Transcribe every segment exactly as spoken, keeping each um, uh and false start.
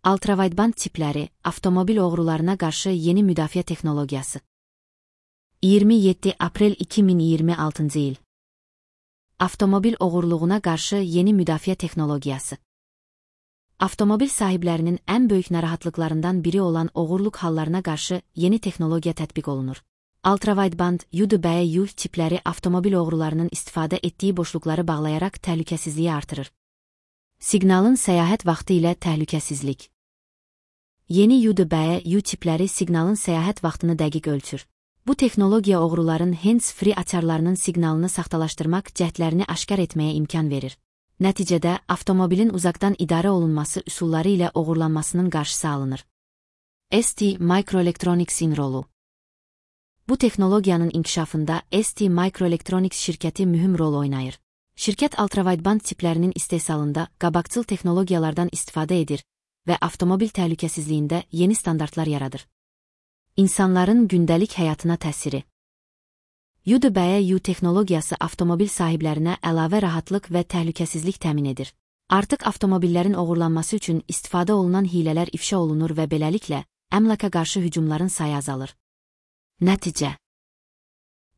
Ultrawideband tipləri, avtomobil oğrularına qarşı yeni müdafiə texnologiyası. iyirmi yeddi aprel iki min iyirmi altıncı il. Avtomobil oğurluğuna qarşı yeni müdafiə texnologiyası. Avtomobil sahiblərinin ən böyük narahatlıqlarından biri olan oğurluq hallarına qarşı yeni texnologiya tətbiq olunur. Ultrawideband U D B U tipləri avtomobil oğrularının istifadə etdiyi boşluqları bağlayaraq təhlükəsizliyi artırır. Siqnalın səyahət vaxtı ilə təhlükəsizlik. Yeni U D B U tipləri siqnalın səyahət vaxtını dəqiq ölçür. Bu texnologiya oğruların hands-free açarlarının siqnalını saxtalaşdırmaq cəhdlərini aşkar etməyə imkan verir. Nəticədə, avtomobilin uzaqdan idarə olunması üsulları ilə oğurlanmasının qarşısı alınır. S T Microelectronics'in rolu. Bu texnologiyanın inkişafında S T Microelectronics şirkəti mühüm rol oynayır. Şirkət ultrawideband tiplərinin istehsalında qabaqcıl texnologiyalardan istifadə edir və avtomobil təhlükəsizliyində yeni standartlar yaradır. İnsanların gündəlik həyatına təsiri. U D B U texnologiyası avtomobil sahiblərinə əlavə rahatlıq və təhlükəsizlik təmin edir. Artıq avtomobillərin oğurlanması üçün istifadə olunan hilələr ifşa olunur və beləliklə, əmlaka qarşı hücumların sayı azalır. Nəticə.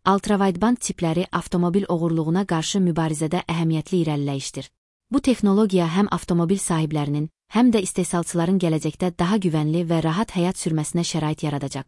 Ultrawideband tipləri avtomobil oğurluğuna qarşı mübarizədə əhəmiyyətli irəliləyişdir. Bu texnologiya həm avtomobil sahiblərinin, həm də istehsalçıların gələcəkdə daha güvənli və rahat həyat sürməsinə şərait yaradacaq.